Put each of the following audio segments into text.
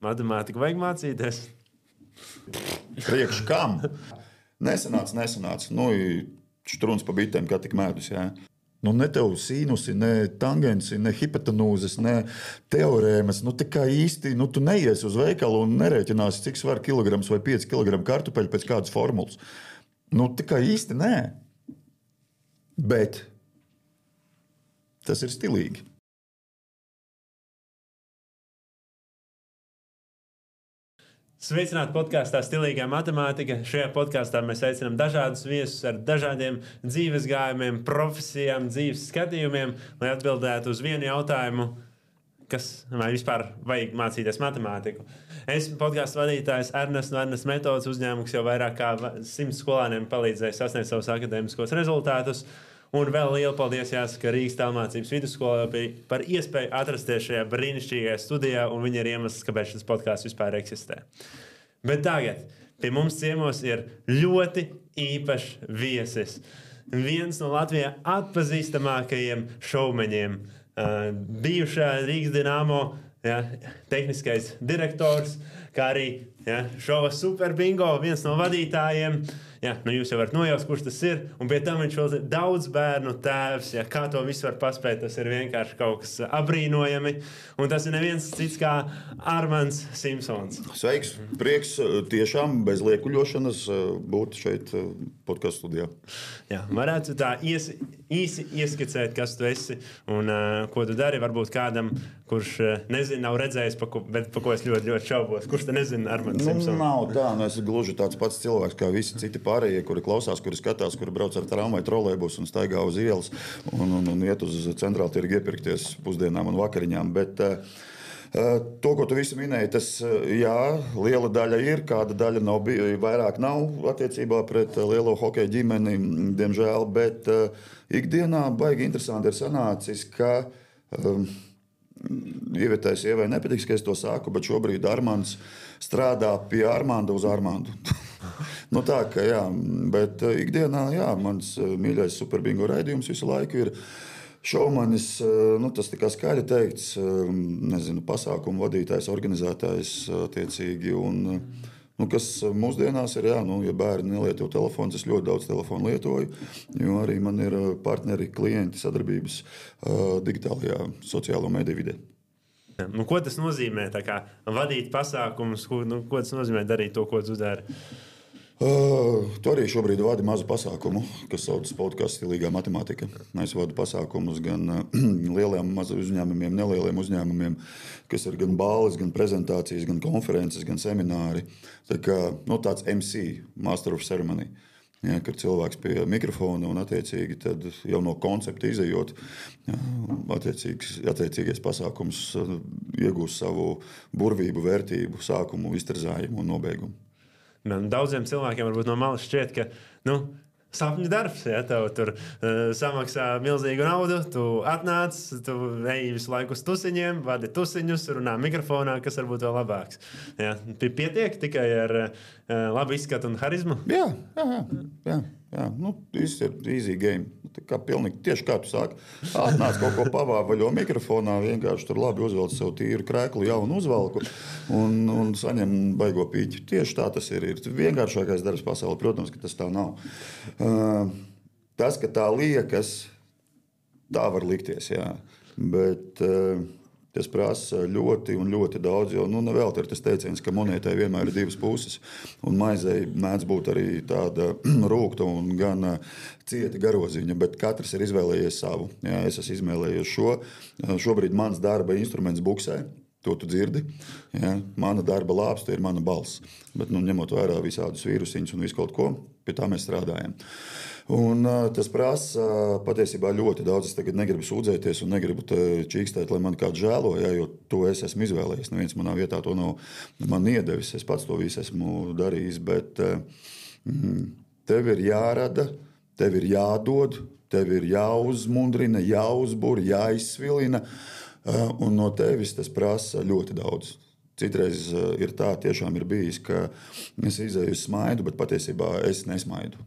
Matemātiku vajag mācīties. Priekš kam? Nesanāca. Štruns pa bitēm, kā tik mēdus. Jā. Ne tev sīnusi, ne tangensi, ne hipotenūzes, ne teorēmas. Tā kā īsti, tu neies uz veikalu un nerēķināsi, cik svar kilograms vai 5 kg kartupeļu pēc kādas formulas. Tā kā īsti nē. Bet tas ir stilīgi. Sveicināti podkāstā Stilīgā matemātika. Šajā podkāstā mēs aicinām dažādus viesus ar dažādiem dzīves gājumiem, profesijām, dzīves skatījumiem, lai atbildētu uz vienu jautājumu, vai vispār vajag mācīties matemātiku. Esmu podkāstu vadītājs Ernests no Ernests metodes uzņēmums, kas jau vairāk kā 100 skolāniem palīdzēja sasniegt savus akadēmiskos rezultātus. Un vēl lielu paldies jāsaka Rīgas Tālmācības vidusskolai par iespēju atrasties šajā brīnišķīgajā studijā, un viņi ir iemesls, kāpēc šis podkāsts vispār eksistē. Bet tagad pie mums ciemos ir ļoti īpašs viesis. Viens no Latvijā atpazīstamākajiem šovmeņiem, bijušā Rīgas Dinamo tehniskais direktors, kā arī šova Super Bingo, viens no vadītājiem. Jūs jau varat nojaust, kurš tas ir. Un pie tam viņš vēl ir daudz bērnu tēvs. Kā to visu var paspēt, tas ir vienkārši kaut kas apbrīnojami. Un tas ir neviens cits kā Armands Simpsons. Sveiks! Prieks tiešām bez liekuļošanas būt šeit podcastu studijā. Varētu tā īsi ieskicēt, kas tu esi un ko tu dari. Varbūt kādam, kurš nezina, nav redzējis, bet pa ko es ļoti, ļoti šaubos. Kurš te nezina Armands Simpsons? Nav tā, es gluži tāds pats cilvēks kā visi citi pārējie, kuri klausās, kuri skatās, kuri brauc ar tramvaju, trolejbusu un staigā uz ielas un iet uz centrālu tirgu iepirkties pusdienām un vakariņām. Bet to, ko tu visi minēji, tas liela daļa ir, kāda daļa vairāk nav attiecībā pret lielo hokeja ģimeni, diemžēl, bet ikdienā baigi interesanti ir sanācis, ka Ievietēji sievai nepatiks, ka es to saku, bet šobrīd Armands strādā pie Armanda uz Armandu. Tā, ka bet ikdienā, mans mīļais Super Bingo raidījums visu laiku ir šovmanis, tas tikai skaļi teikts, pasākumu vadītājs, organizētājs attiecīgi, un kas mūsdienās ir, ja bērni nelieto telefons, es ļoti daudz telefonu lietoju, jo arī man ir partneri, klienti, sadarbības digitālajā sociālo mediju vidē. Ko tas nozīmē vadīt pasākumus? Ko tas nozīmē darīt to, ko tu dari? Tu arī šobrīd vadi mazu pasākumu, kas saucas podkāsts Stilīgā matemātika. Es vadu pasākumus gan lieliem uzņēmumiem, nelieliem uzņēmumiem, kas ir gan balles, gan prezentācijas, gan konferences, gan semināri. Tāds MC, Master of Ceremony. Kad cilvēks pie mikrofona un attiecīgi tad jau no koncepta izejot, attiecīgais pasākums iegūst savu burvību, vērtību, sākumu, izterzājumu un nobeigumu. Daudziem cilvēkiem varbūt no malas šķiet, ka sapņu darbs, tev tur samaksā milzīgu naudu, tu atnāc, tu ej visu laiku uz tusiņiem, vadi tusiņus, runā mikrofonā, kas varbūt vēl labāks. Pietiek tikai ar labu izskatu un harizmu? Jā. Viss ir easy game. Tieši kā tu sāki. Atnāc kaut ko pavāvaļo mikrofonā, vienkārši tur labi uzvelc sev tīru krēklu, jaunu uzvalku un saņem baigo pīķi. Tieši tā tas ir. Ir vienkāršākais darbs pasaulē. Protams, ka tas tā nav. Tas, ka tā liekas, tā var likties, bet tas prasa ļoti un ļoti daudz, jo nevēl ir tas teiciens, ka monētai vienmēr ir divas puses, un maizei mēdz būt arī tāda rūgta un gan cieta garoziņa, bet katrs ir izvēlējies savu. Es esmu izvēlējies šo. Šobrīd mans darba instruments buksē. To tu dzirdi. Mana darba lāpsta ir mana balss. Bet, ņemot vērā visādus vīrusiņus un visu kaut ko, pie tā mēs strādājam. Un tas prasa patiesībā ļoti daudz. Es tagad negribu sūdzēties un negribu čīkstēt, lai man kāds žēlo, jo to es esmu izvēlējies. Neviens manā vietā to nav man iedevis. Es pats to visu esmu darījis. Bet tev ir jārada, tev ir jādod, tev ir jāuzmundrina, jāuzbur, jāizsvilina. Un no tevis tas prasa ļoti daudz. Citreiz ir tā, tiešām ir bijis, ka es izēju uz smaidu, bet patiesībā es nesmaidu.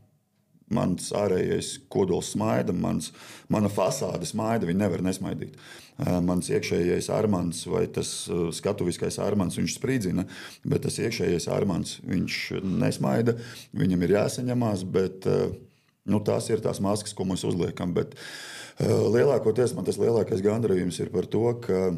mans ārējais kodols smaida, mana fasāde smaida, viņi nevar nesmaidīt. Mans iekšējais Armands vai tas skatuviskais Armands, viņš sprīdzina, bet tas iekšējais Armands, viņš nesmaida, viņam ir jāsaņemās, bet tās ir tās maskas, ko mēs uzliekam. Bet lielākoties man tas lielākais gandarījums ir par to, ka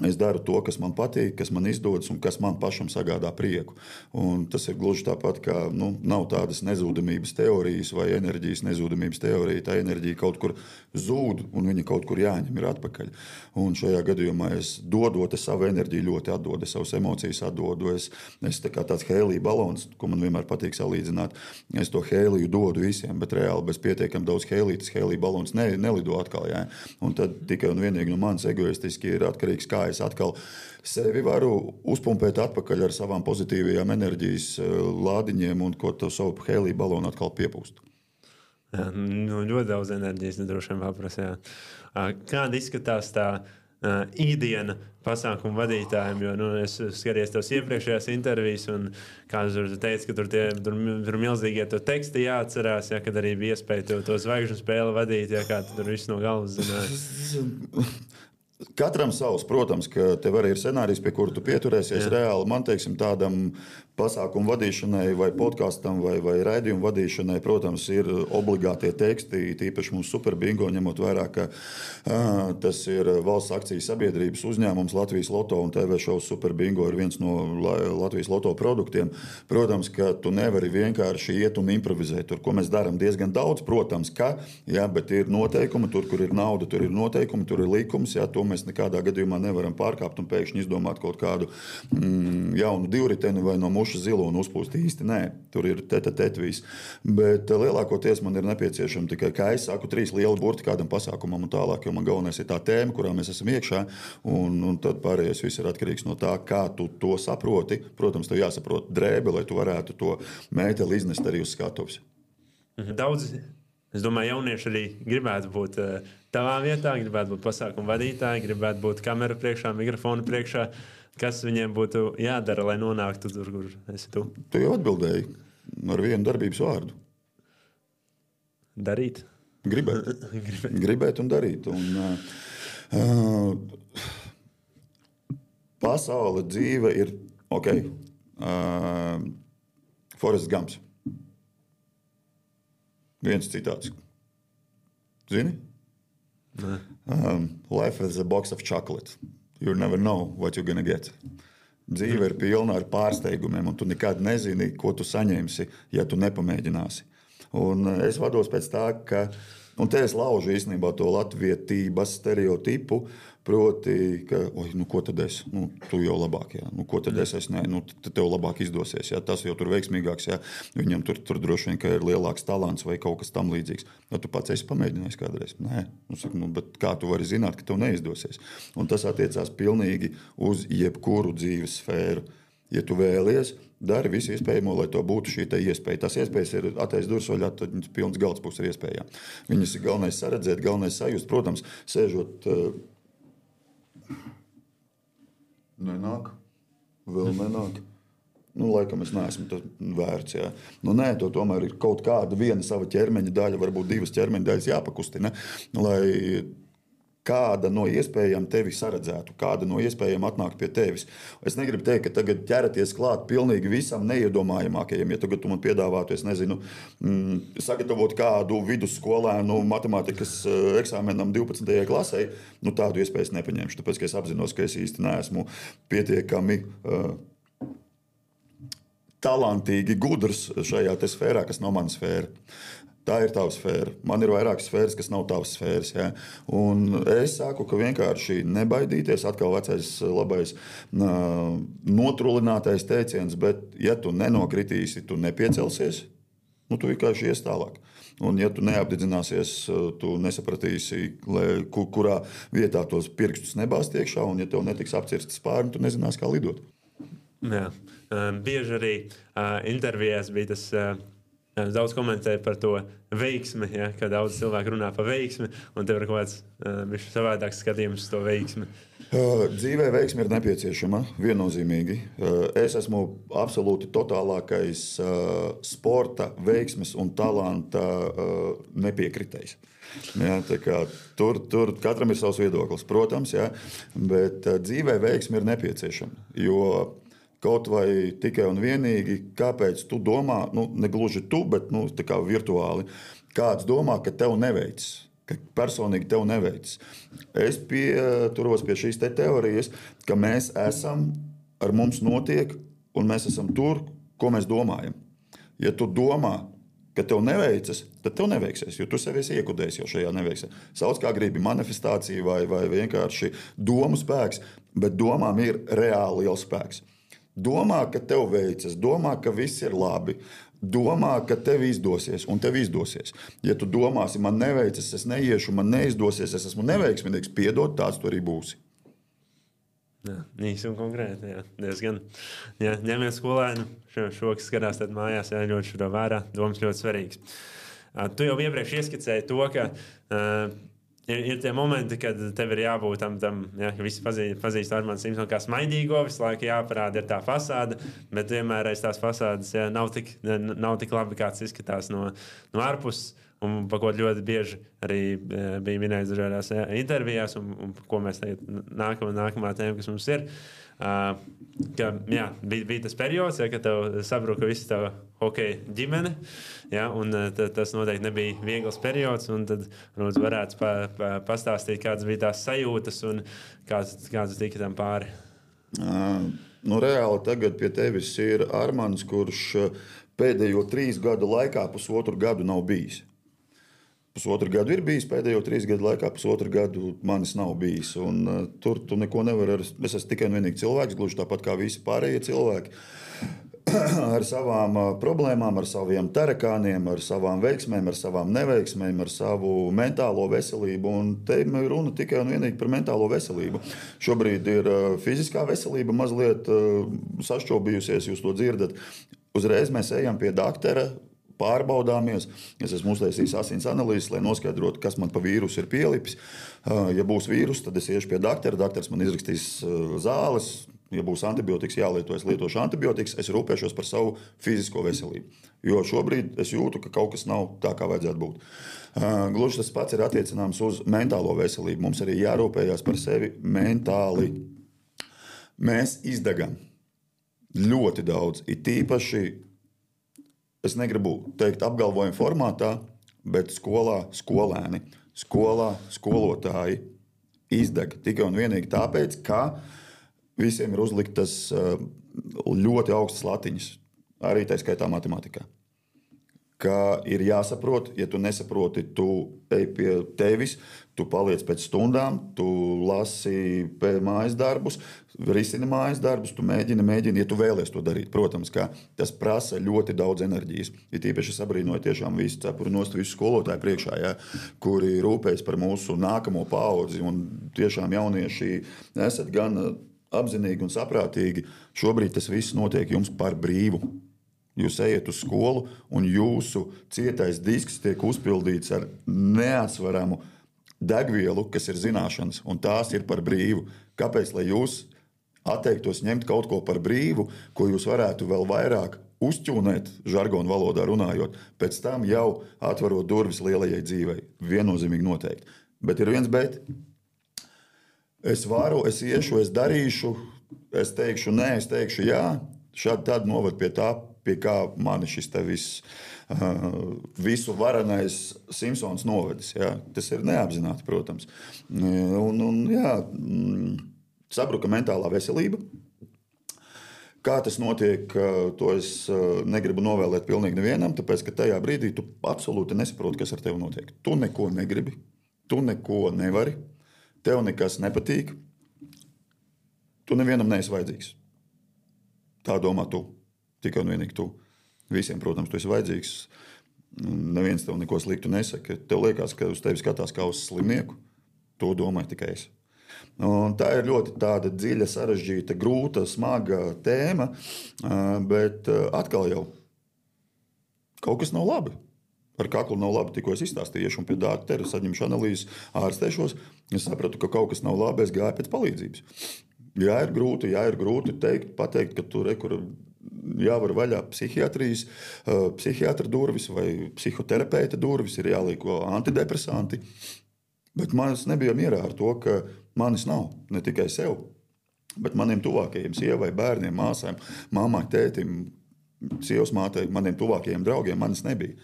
es daru to, kas man patīk, kas man izdodas un kas man pašam sagādā prieku. Un tas ir gluži tāpat, kā nav tādas nezūdamības teorijas vai enerģijas nezūdamības teorija. Tā enerģija kaut kur zūd un viņa kaut kur jāņem ir atpakaļ. Un šajā gadījumā es dodot savu enerģiju ļoti atdodu, savas emocijas atdodu. Es tā kā tāds hēlija balons, ko man vienmēr patīk salīdzināt, es to hēliju dodu visiem, bet reāli bez pietiekam daudz hēlija, tas hēlija balons nelido atkal. Jā. Un tad tikai un vienīgi no manis egoistiski ir atkarīgs, kā es atkal sevi varu uzpumpēt atpakaļ ar savām pozitīvajām enerģijas lādiņiem un ko to savu hēlija balonu atkal piepūst. Jā, ļoti daudz enerģijas droši vien paprasa. Kāda izskatās tā ikdiena pasākumu vadītājiem? Jo es skatījos tavas iepriekšējās intervijas, un kā tu teici, ka tur milzīgie to teksti jāatcerās, kad arī bija iespēja to zvaigžņu spēli vadīt, kā tu tur visu no galvas zināji. Katram savs, protams, ka tev arī ir scenārijs, pie kura tu pieturēsies. Reāli man, tādam pasākumu vadīšanai vai podkastam vai raidījumu vadīšanai, protams, ir obligātie teksti, tīpaši mums Superbingo, ņemot vērā, ka tas ir valsts akciju sabiedrības uzņēmums Latvijas Loto un TV šovs Superbingo ir viens no Latvijas Loto produktiem. Protams, ka tu nevari vienkārši iet un improvizēt. Tur, ko mēs darām diezgan daudz, protams, bet ir noteikumi, tur, kur ir nauda, tur ir noteikumi, tur ir likums, to mēs nekādā gadījumā nevaram pārkāpt un pēkšņi izdomāt kaut kādu jaunu divriteni vai no muša zilo un uzpūst īsti. Nē, tur ir viss. Bet lielākoties man ir nepieciešama tikai, kā es saku, 3 lieli burti kādam pasākumam un tālāk, jo man galvenais ir tā tēma, kurā mēs esam iekšā, un tad pārējais viss ir atkarīgs no tā, kā tu to saproti. Protams, tev jāsaprot drēbe, lai tu varētu to mēteli iznest arī uz skatuves. Daudz, es domāju, jaunieši arī gribētu būt tavā vietā, gribētu būt pasākumu vadītāji, gribētu būt kameru priekšā, mikrofonu priekšā. Kas viņiem būtu jādara, lai nonāktu tur, kur esi tu? Tu jau atbildēji ar vienu darbības vārdu. Darīt? Gribēt. Gribēt un darīt. Pasaule, dzīve ir ok. Forrests Gumps. Viens citāts. Zini? Life is a box of chocolate. You never know what you're gonna get. Dzīve ir pilna ar pārsteigumiem, un tu nekad nezini, ko tu saņemsi, ja tu nepamēģināsi. Un es vados pēc tā, ka, un te es laužu īstenībā to latvietības stereotipu, proti, ka, ko tad es? Tu jau labāk, jā. Ko tad es? Nē, tev labāk izdosies, jā. Tas jau tur veiksmīgāks, jā. Viņam tur droši vien, ka ir lielāks talants vai kaut kas tam līdzīgs. Ja tu pats esi pamēģinājis kādreiz? Nē. Bet kā tu vari zināt, ka tev neizdosies? Un tas attiecās pilnīgi uz jebkuru dzīves sfēru. Ja tu vēlies, dari visu iespējamo, lai to būtu šī iespēja. Tās iespējas ir attaisnot durvis vaļā, tad pilns galds būs ar iespējām. Viņas ir galvenais saredzēt, galvenais sajust. Protams, sēžot... Nenāk. Vēl nenāk. Laikam es neesmu vērts. Jā. Nē, to tomēr ir kaut kāda viena sava ķermeņa daļa, varbūt 2 ķermeņa daļas jāpakustina, lai kāda no iespējām tevi saredzētu, kāda no iespējām atnāk pie tevis. Es negribu teikt, ka tagad ķeraties klāt pilnīgi visam neiedomājamākajam. Ja tagad tu man piedāvātu, es nezinu, sagatavot kādu vidusskolēnu matemātikas eksāmenam 12. klasē, tādu iespēju es nepaņemšu, tāpēc, ka es apzinos, ka es īsti neesmu pietiekami talantīgi gudrs šajā sfērā, kas nav mana sfēra. Tā ir tava sfēra. Man ir vairākas sfēras, kas nav tavas sfēras. Ja? Un es saku, ka vienkārši nebaidīties, atkal vecais labais notrulinātais teiciens, bet ja tu nenokritīsi, tu nepiecelsies, tu vienkārši ies tālāk. Un ja tu neapdedzināsies, tu nesapratīsi, kurā vietā tos pirkstus nebāzt iekšā, un ja tev netiks apcirsts spārni, tu nezināsi, kā lidot. Jā. Bieži arī intervijās bija tas daudz komentē par to veiksmi, ja, kad daudz cilvēku runā par veiksmi, un tev ir kaut kāds savādāks skatījums uz to veiksmi. Dzīvē veiksme ir nepieciešama, viennozīmīgi. Es esmu absolūti totālākais sporta, veiksmes un talanta nepiekritējs. Ja, tur katram ir savs viedoklis, protams, ja, bet dzīvē veiksme ir nepieciešama. Jo kaut vai tikai un vienīgi, kāpēc tu domā, ne gluži tu, bet tā virtuāli, kāds domā, ka tev neveicis. Ka personīgi tev neveicis. Es pieturos pie šīs teorijas, ka mēs esam, ar mums notiek, un mēs esam tur, ko mēs domājam. Ja tu domā, ka tev neveicas, tad tev neveiksies, jo tu sevi esi iekudējis jau šajā neveiksmē. Sauc kā gribi manifestācija vai vienkārši domu spēks, bet domām ir reāli liels spēks. Domā, ka tev veicas, domā, ka viss ir labi. Domā, ka tev izdosies, un tev izdosies. Ja tu domāsi, man neveicas, es neiešu, man neizdosies, es esmu neveiksmīgs, piedod, tāds tu arī būsi. Jā, īsi un konkrēti, jā, diezgan. Jā, ņemiet skolēnu, šo, kas skatās tad mājās, jāņot šo vērā, domas ļoti svarīgs. Tu jau iepriekš ieskicēji to, ka ir tie momenti, kad tev ir jābūt tam ja, visi pazīst Armānu Simpsonu kā smaidīgo, visu laiku jāparāda ir tā fasāde, bet vienmēr aiz tās fasādes ja, nav tik labi, kāds izskatās no ārpuses. Un par ko ļoti bieži arī bija minēts dažādās intervijās, un ko mēs tagad nākamā tēma, kas mums ir, ka jā, bija tas periods, ja, kad tev sabruka visa tava hokeja ģimene, ja, un tas noteikti nebija viegls periods, un tad varētu pastāstīt, kādas bija tās sajūtas un kāds tika tam pāri. Reāli tagad pie tevis ir Armāns, kurš pēdējo 3 gadu laikā pusotru gadu nav bijis. Pusotru gadu ir bijis, pēdējo 3 gadu laikā pusotru gadu manis nav bijis. Un, tur tu neko nevari. Es esmu tikai un vienīgi cilvēks, gluži tāpat kā visi pārējie cilvēki. Ar savām problēmām, ar saviem tarakāniem, ar savām veiksmēm, ar savām neveiksmēm, ar savu mentālo veselību. Un te ir runa tikai un vienīgi par mentālo veselību. Šobrīd ir fiziskā veselība mazliet sašķobījusies, jūs to dzirdat. Uzreiz mēs ejam pie doktora. Pārbaudāmies. Es esmu uztaisījis asins analīzes, lai noskaidrotu, kas man pa vīrusu ir pielipis. Ja būs vīrus, tad es iešu pie doktora. Doktors man izrakstīs zāles. Ja būs antibiotikas jālieto, es lietošu antibiotikas. Es rūpēšos par savu fizisko veselību. Jo šobrīd es jūtu, ka kaut kas nav tā, kā vajadzētu būt. Gluži tas pats ir attiecināms uz mentālo veselību. Mums arī jārūpējās par sevi mentāli. Mēs izdegam ļoti daudz. Ir tīpaši es negribu teikt apgalvojumu formātā, bet skolā skolēni, skolā skolotāji izdeg tikai un vienīgi tāpēc, ka visiem ir uzliktas ļoti augstas latiņas, arī tā skaitā matemātikā. Ka ir jāsaprot, ja tu nesaproti, tu ej pie tevis, tu paliec pēc stundām, tu lasi mājas darbus, risini mājas darbus, tu mēģini, ja tu vēlies to darīt. Protams, ka tas prasa ļoti daudz enerģijas. Ir tīpaši sabrīnoju tiešām visu cepuru nost visu skolotāju priekšā, ja, kuri rūpējas par mūsu nākamo paudzi. Un tiešām jaunieši esat gan apzinīgi un saprātīgi. Šobrīd tas viss notiek jums par brīvu. Jūs ejat uz skolu, un jūsu cietais disks tiek uzpildīts ar neatsveramu degvielu, kas ir zināšanas, un tās ir par brīvu. Kāpēc? Lai jūs atteiktos ņemt kaut ko par brīvu, ko jūs varētu vēl vairāk uzķūnēt, žargonu valodā runājot, pēc tam jau atverot durvis lielajai dzīvei. Viennozīmīgi noteikti. Bet ir viens bet. Es varu, es iešu, es darīšu, es teikšu nē, es teikšu jā. Šādi tad novad pie tā, pie kā mani šis te visu varenais Simpsons novedis. Ja? Tas ir neapzināti, protams. Sabruka mentālā veselība. Kā tas notiek, to es negribu novēlēt pilnīgi nevienam, tāpēc, ka tajā brīdī tu absolūti nesaproti, kas ar tevi notiek. Tu neko negribi, tu neko nevari, tev nekas nepatīk, tu nevienam neesi vajadzīgs. Tā domā tu. Tikai un vienīgi tu. Visiem, protams, tu esi vajadzīgs. Neviens tev neko sliktu nesaka. Tev liekas, ka uz tevi skatās kā uz slimnieku. To domāju tikai es. Un tā ir ļoti tāda dziļa, sarežģīta, grūta, smaga tēma, bet atkal jau Kaut kas nav labi. Ar kaklu nav labi, tikko es izstāstīju, un pie doktora saņemšu analīzes, ārstēšos. Es sapratu, ka kaut kas nav labi, es gāju pēc palīdzības. Jā, ir grūti pateikt, ka tur jāvar vaļā psihiatrijas, psihiatra durvis vai psihoterapeita durvis, ir jālieko antidepresanti. Bet manis nebija mierā ar to, ka manis nav, ne tikai sev, bet maniem tuvākajiem, sievai, bērniem, māsām, māmai, tētim, sievas mātei, maniem tuvākajiem draugiem manis nebija.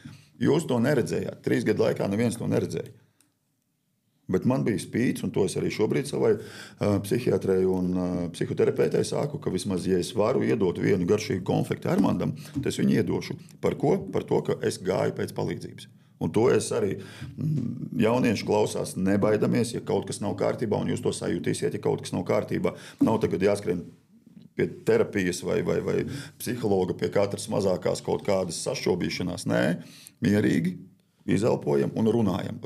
Jūs to neredzējāt. 3 gadu laikā neviens to neredzēja. Bet man bija spīts, un to es arī šobrīd savai psihiatrei un psihoterapeitei saku, ka vismaz, ja es varu iedot vienu garšīgu konfekti Armandam, tad es viņu iedošu. Par ko? Par to, ka es gāju pēc palīdzības. Un to es arī jaunieši klausās, nebaidamies, ja kaut kas nav kārtībā, un jūs to sajūtīsiet, ja kaut kas nav kārtībā. Nav tagad jāskrien pie terapijas vai psihologa, pie katras mazākās kaut kādas sašķobīšanās. Nē, mierīgi izelpojam un runājam.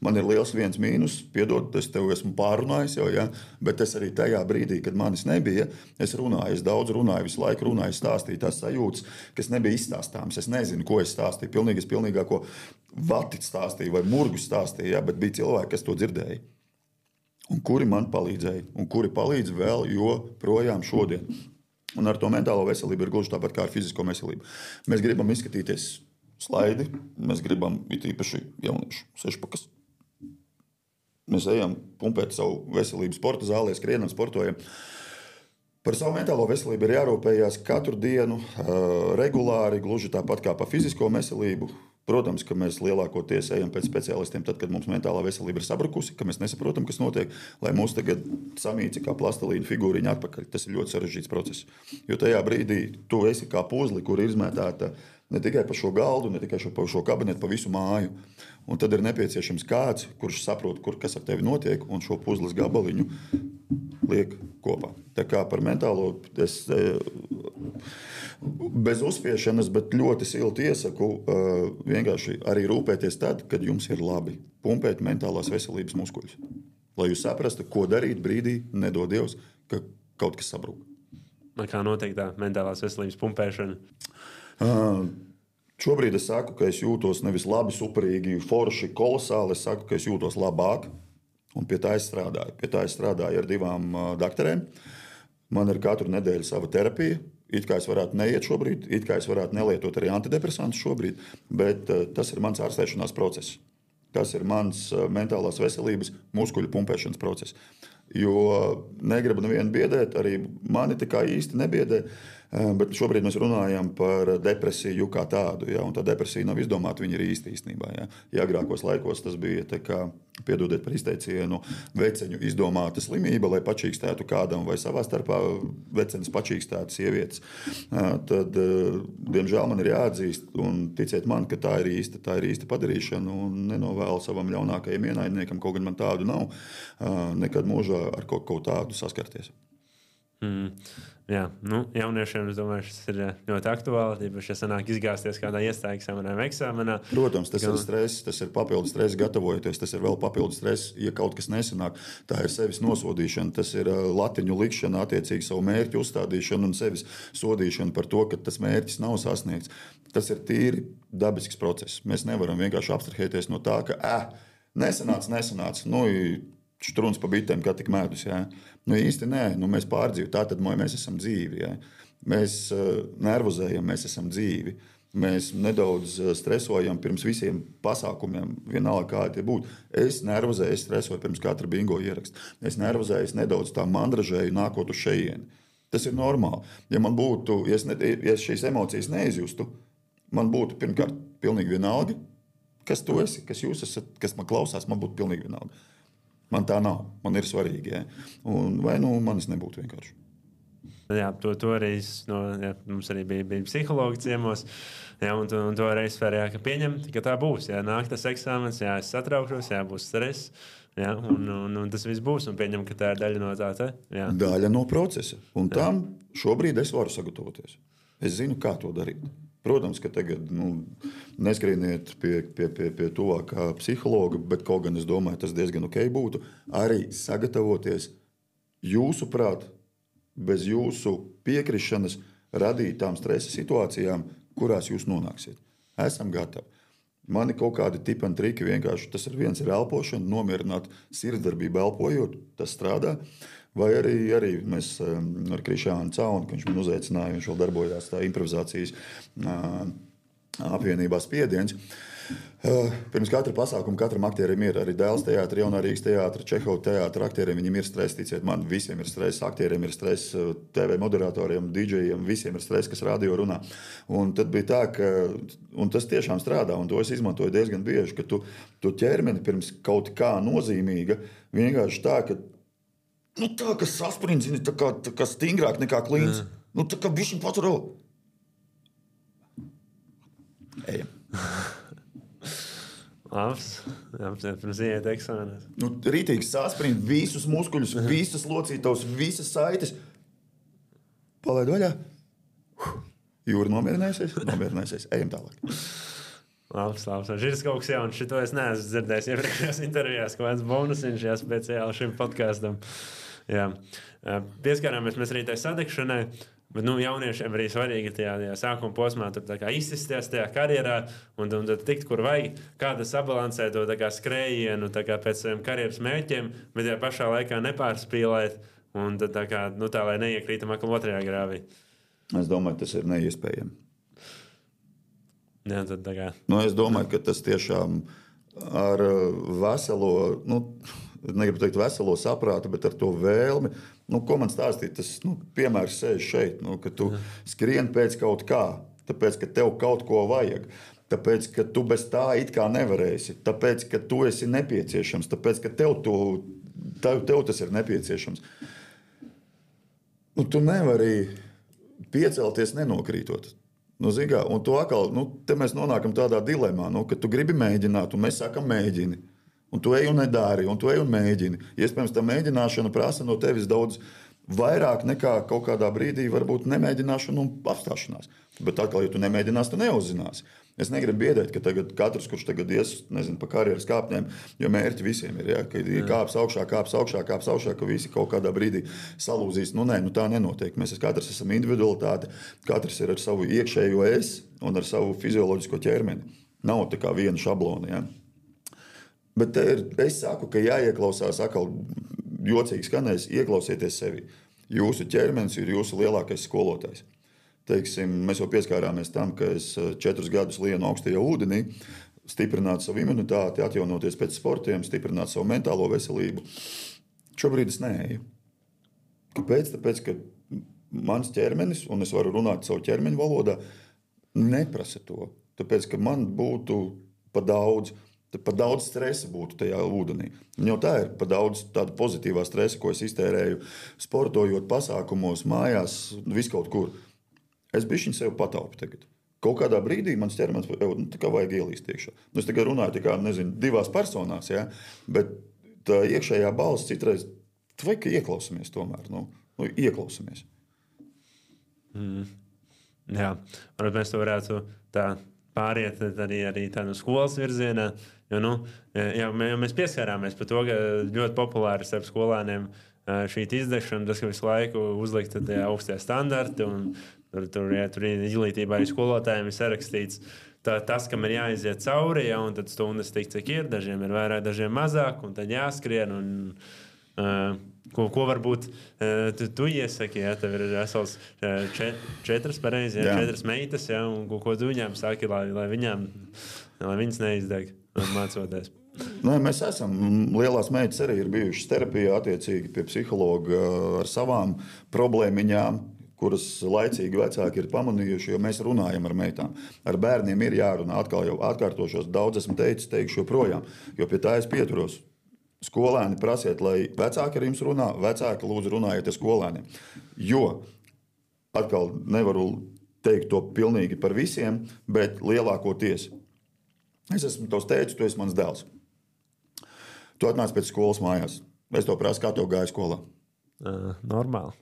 Man ir liels viens mīnus, piedod, es tev esmu pārrunājis jau, ja? Bet es arī tajā brīdī, kad manis nebija, es runāju, es daudz runāju, visu laiku runāju, stāstīju tās sajūtas, kas nebija izstāstāmas. Es nezinu, ko es stāstīju, pilnīgāko vati stāstīju vai murgu stāstīju, ja? Bet bija cilvēki, kas to dzirdēja. Un kuri man palīdzēja, un kuri palīdz vēl joprojām šodien. Un ar to mentālo veselību ir gluži tāpat kā ar fizisko veselību. Mēs gribam izskatīties slaidi, mēs gribam it īpaši jauniešu sešpakas. Mēs ejam pumpēt savu veselību sporta zālē, skrienam, sportojam. Par savu mentālo veselību ir jārūpējās katru dienu, regulāri, gluži tāpat kā par fizisko veselību. Protams, ka mēs lielākoties ejam pēc speciālistiem tad, kad mums mentālā veselība ir sabrukusi, ka mēs nesaprotam, kas notiek, lai mūs tagad samīci kā plastelīna figūriņa atpakaļ. Tas ir ļoti sarežģīts process. Jo tajā brīdī tu esi kā puzli, kur ir izmētāta ne tikai pa šo galdu, ne tikai pa šo kabinetu, pa visu māju. Un tad ir nepieciešams kāds, kurš saprot, kas ar tevi notiek, un šo puzles gabaliņu liek kopā. Tā kā par mentālo es bez uzspiešanas, bet ļoti silti iesaku vienkārši arī rūpēties tad, kad jums ir labi. Pumpēt mentālās veselības muskuļus. Lai jūs saprastu, ko darīt brīdī, nedod Dievs, ka kaut kas sabrūk. Kā notiek tā mentālās veselības pumpēšana? Šobrīd es saku, ka es jūtos nevis labi, superīgi, forši, kolosāli. Es saku, ka es jūtos labāk, un pie tā es strādāju. Pie tā es strādāju ar 2 doktoriem. Man ir katru nedēļu sava terapija. It kā es varētu neiet šobrīd, it kā es varētu nelietot arī antidepresantus šobrīd, bet tas ir mans ārstēšanās process. Tas ir mans mentālās veselības muskuļu pumpēšanas process. Jo negribu nevienu biedēt, arī mani tā kā īsti nebiedē, bet šobrīd mēs runājam par depresiju kā tādu. Ja? Un tā depresija nav izdomāta, viņa ir īstenībā. Ja? Ja agrākos laikos tas bija, tā kā, piedodiet par izteicienu, veceņu izdomāta slimība, lai pačīkstētu kādam vai savā starpā vecenis pačīkstētu sievietes. Tad, diemžēl man ir jāatzīst, un ticiet man, ka tā ir īsta padarīšana, un nenovēlu savam ļaunākajam ienaidniekam, kaut gan man tādu nav, nekad mūžā ar kaut tādu saskarties. Jā, jauniešiem, es domāju, tas ir ļoti aktuāli. Īpaši, ja sanāk izgāzties kādā iestāju eksāmenā. Protams, tas ir stress, tas ir papildus stress, gatavojoties. Tas ir vēl papildus stress, ja kaut kas nesanāk. Tā ir sevis nosodīšana, tas ir latiņu likšana, attiecīgi savu mērķu uzstādīšana un sevis sodīšana par to, ka tas mērķis nav sasniegts. Tas ir tīri dabisks process. Mēs nevaram vienkārši abstrahēties no tā, ka nesanāca. Štruns pa bitēm, kā tik mēdus. Ja? Īsti nē, mēs pārdzīvojam. Tātad mēs esam dzīvi. Ja? Mēs nervozējam, mēs esam dzīvi. Mēs nedaudz stresojam pirms visiem pasākumiem, vienalga kādi tie būtu. Es nervozēju, es stresoju pirms katra bingo ieraksta. Es nervozēju, es nedaudz tā mandražēju nākot uz šejieni. Tas ir normāli. Ja man būtu, ja es šīs emocijas neizjustu, man būtu pirmkārt pilnīgi vienalga, kas tu esi, kas jūs esat, kas man klausās, man būtu pilnīgi vienalga. Man tā nav. Man ir svarīgi. Ja? Vai manis nebūtu vienkārši. Jā, to arī mums arī bija psihologi ciemos. Jā, un to arī sfērā, ka pieņemt, ka tā būs. Jā, nāk tas eksāmens, jā, es satraukšos, jā, būs stress. Jā, un tas viss būs. Un pieņem, ka tā ir daļa no tā. Jā. Daļa no procesa. Un tam šobrīd es varu sagatavoties. Es zinu, kā to darīt. Protams, ka tagad neskrieniet pie tuvākā psihologa, bet kaut gan es domāju, tas diezgan ok būtu arī sagatavoties jūsuprāt, bez jūsu piekrišanas radītām stresa situācijām, kurās jūs nonāksiet. Esam gatavi. Man ir kaut kādi tipi un triki, vienkārši tas viens ir elpošana, nomierināt sirdsdarbību elpojot, tas strādā. Vai arī mēs ar Krišānu Caunu, ka viņš man uzaicināja, viņš vēl darbojās tā improvizācijas apvienībā Spiediens. Pirms katra pasākuma katram aktierim ir arī Dēls teātris, Jaunā Rīgas teātris, Čehova teātris. Aktieriem viņiem ir stress, ticiet man, visiem ir stress. Aktieriem ir stress, TV moderatoriem, DJiem, visiem ir stress, kas radio runā. Un tad bija tā, ka tas tiešām strādā, un to es izmantoju diezgan bieži, ka tu ķermeni pirms kaut kā nozīmīga vienkārši tā, ka sasprints, tā kā stingrāk nekā klīns. Tā kā bišķiņ pats vēl. Ejam. Labs, pirms iet eksāmenēs. Rītīgs sāsprint, visus muskuļus, visas locītavas, visas saites. Palaid vaļā. Jūra nomierinājusies. Ejam tālāk. Labs. Šis kaut kas jauns. Šito es neesmu dzirdējis iepriekšējās intervijās. Kaut kāds bonusiņš speciāli šim podkastam. Jā. Pieskārāmies mēs arī tai sadegšanai. Bet jauniešiem arī svarīgi tajā sākuma posmā izsisties tajā karjerā un tad tikt, kur vajag, kāda sabalansē to skrējienu pēc saviem karjeras mērķiem, bet tajā pašā laikā nepārspīlēt un tad tā lai neiekrītam atkal otrajā grāvī. Es domāju, tas ir neiespējami. Jā, tad es domāju, ka tas tiešām ar veselo, negribu teikt veselo saprātu, bet ar to vēlmi. Ko man stāstīt? Tas piemērs sēž šeit, ka tu skrien pēc kaut kā, tāpēc, ka tev kaut ko vajag, tāpēc, ka tu bez tā it kā nevarēsi, tāpēc, ka tu esi nepieciešams, tāpēc, ka tev tas ir nepieciešams. Tu nevari piecelties nenokrītot. Un tu atkal, te mēs nonākam tādā dilemā, ka tu gribi mēģināt, un mēs sakam mēģini. Un tu ej un nedari, un tu ej un mēģini. Iespējams, tā mēģināšana prasa no tevis daudz vairāk nekā kaut kādā brīdī varbūt nemēģināšana un apstāšanās. Bet atkal, ja tu nemēģināsi, tu neuzzināsi. Es negribu biedēt, ka tagad katrs, kurš tagad ies, pa karjeras kāpņiem, jo mērķi visiem ir, ka kāps augšā, ka visi kaut kādā brīdī salūzīs. Tā nenotiek. Mēs katrs esam individualitāte, katrs ir ar savu iekšējo es un ar savu fizioloģisko ķermeni. Nav tā kā viena šablona, ja? Bet es saku, ka jāieklausās, atkal jocīgi skanēs, ieklausieties sevi. Jūsu ķermenis ir jūsu lielākais skolotājs. Teiksim, mēs jau pieskārāmies tam, ka es 4 gadus lienu augstajā ūdenī, stiprināt savu imunitāti, atjaunoties pēc sportiem, stiprināt savu mentālo veselību. Šobrīd es neeju. Kāpēc? Tāpēc, ka mans ķermenis, un es varu runāt savu ķermeņa valodā, neprasa to. Tāpēc, ka man būtu pa daudz stresa būtu tajā ūdenī. Jau tā ir pa daudz tāda pozitīvā stresa, ko es iztērēju sportojot, pasākumos, mājās, viskaut kur. Es bišķiņ sev pataupu tagad. Kaut kādā brīdī mans ķermenis tā vajag ielīst iekšā. Es tikai runāju tā kā, 2 personās, ja? Bet tā iekšējā balss citreiz, vajag, ka ieklausamies tomēr. Ieklausamies. Jā, varbūt mēs to varētu tā pāriet arī tādu skolas virzienā. Jo, mēs pieskārāmies par to, ka ļoti populāri starp skolēniem šī izdegšana, tas, ka visu laiku uzlikt augstie standarti, un tur izglītībā arī skolotājiem ir sarakstīts tas, kam ir jāiziet cauri, un tad stundas tik, cik ir, dažiem ir vairāk, dažiem mazāk, un tad jāskrien, un ko varbūt tu iesaki, ja tev ir vesels 4 pareizi, 4 meitas, ja, un ko tu viņām saki, lai viņas neizdeg mācoties. Mēs esam, lielās meitas arī ir bijušas terapijā, attiecīgi pie psihologa ar savām problēmiņām, kuras laicīgi vecāki ir pamanījuši, jo mēs runājam ar meitām. Ar bērniem ir jārunā, atkal jau atkārtošos, daudz esmu teicis, teikšu joprojām, jo pie tā es pieturos. Skolēni prasiet, lai vecāki ar jums runā, vecāki lūdzu runājiet ar skolēniem. Jo, atkal nevaru teikt to pilnīgi par visiem, bet lielākoties. Es esmu tavs tētis, tu esi mans dēls. Tu atnāc pēc skolas mājās. Es to prasu, kā tev gāja skolā. Normāli.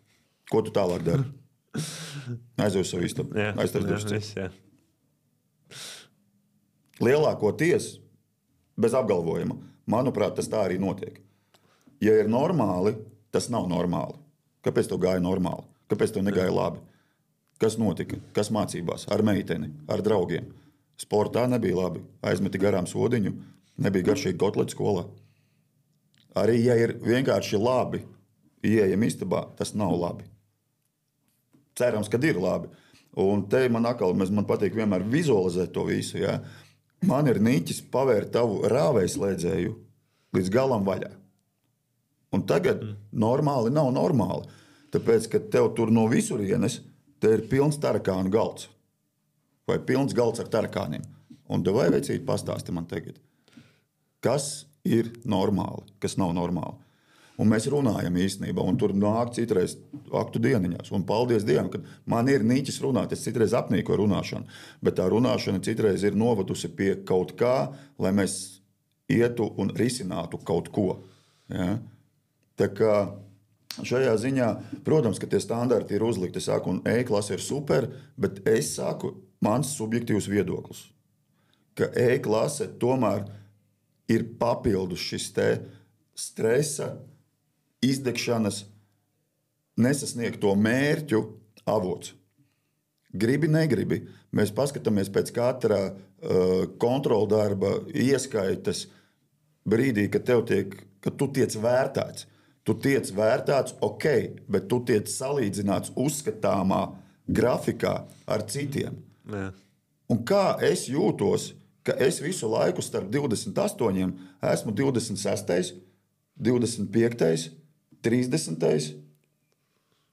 Ko tu tālāk dari? Aizveju savu istabu. Lielākoties, bez apgalvojuma, manuprāt, tas tā arī notiek. Ja ir normāli, tas nav normāli. Kāpēc tev gāja normāli? Kāpēc tev negāja labi? Kas notika? Kas mācībās? Ar meiteni, ar draugiem. Sportā nebija labi. Aizmeti garām sodiņu, nebija garšīgi kotleti skolā. Arī, ja ir vienkārši labi, ieejam istabā, tas nav labi. Cerams, ka ir labi. Un te man patīk vienmēr vizualizēt to visu. Ja? Man ir niķis pavērt tavu rāvējslēdzēju līdz galam vaļā. Un tagad normāli nav normāli. Tāpēc, ka tev tur no visurienes te ir pilns tarakānu galds. Vai pilns galds ar tarakāniem. Un vai veicīt pastāsti man tagad, kas ir normāli, kas nav normāli. Un mēs runājam īstenībā, un tur nāk citreiz aktu dieniņās. Un paldies Dievam, ka man ir niķis runāt. Es citreiz apnīkoju runāšanu, bet tā runāšana citreiz ir novadusi pie kaut kā, lai mēs ietu un risinātu kaut ko. Ja? Tā kā šajā ziņā, protams, ka tie standarti ir uzlikti. Es saku, un E-klase ir super, bet es saku, mans subjektīvs viedoklis, ka E-klase tomēr ir papildus šis te stresa, izdegšanas, nesasniegto mērķu avots. Gribi, negribi. Mēs paskatāmies pēc katra kontroldarba ieskaitas brīdī, kad tu tiec vērtēts. Tu tiec vērtēts, ok, bet tu tiec salīdzināts uzskatāmā grafikā ar citiem. Jā. Un kā es jūtos, ka es visu laiku starp 28 esmu 26, 25, 30,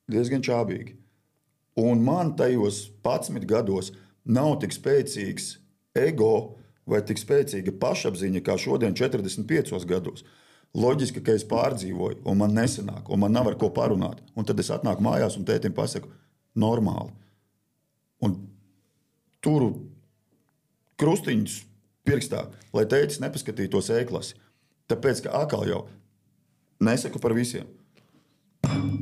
diezgan čābīgi. Un man tajos 11 gados nav tik spēcīgs ego vai tik spēcīga pašapziņa kā šodien 45 gados. Loģiski, ka es pārdzīvoju, un man nesanāk, un man nav ar ko parunāt. Un tad es atnāku mājās un tētim pasaku, normāli. Un turu krustiņus pirkstā, lai tētis nepaskatītos E-klasi. Tāpēc, ka atkal jau nesaku par visiem.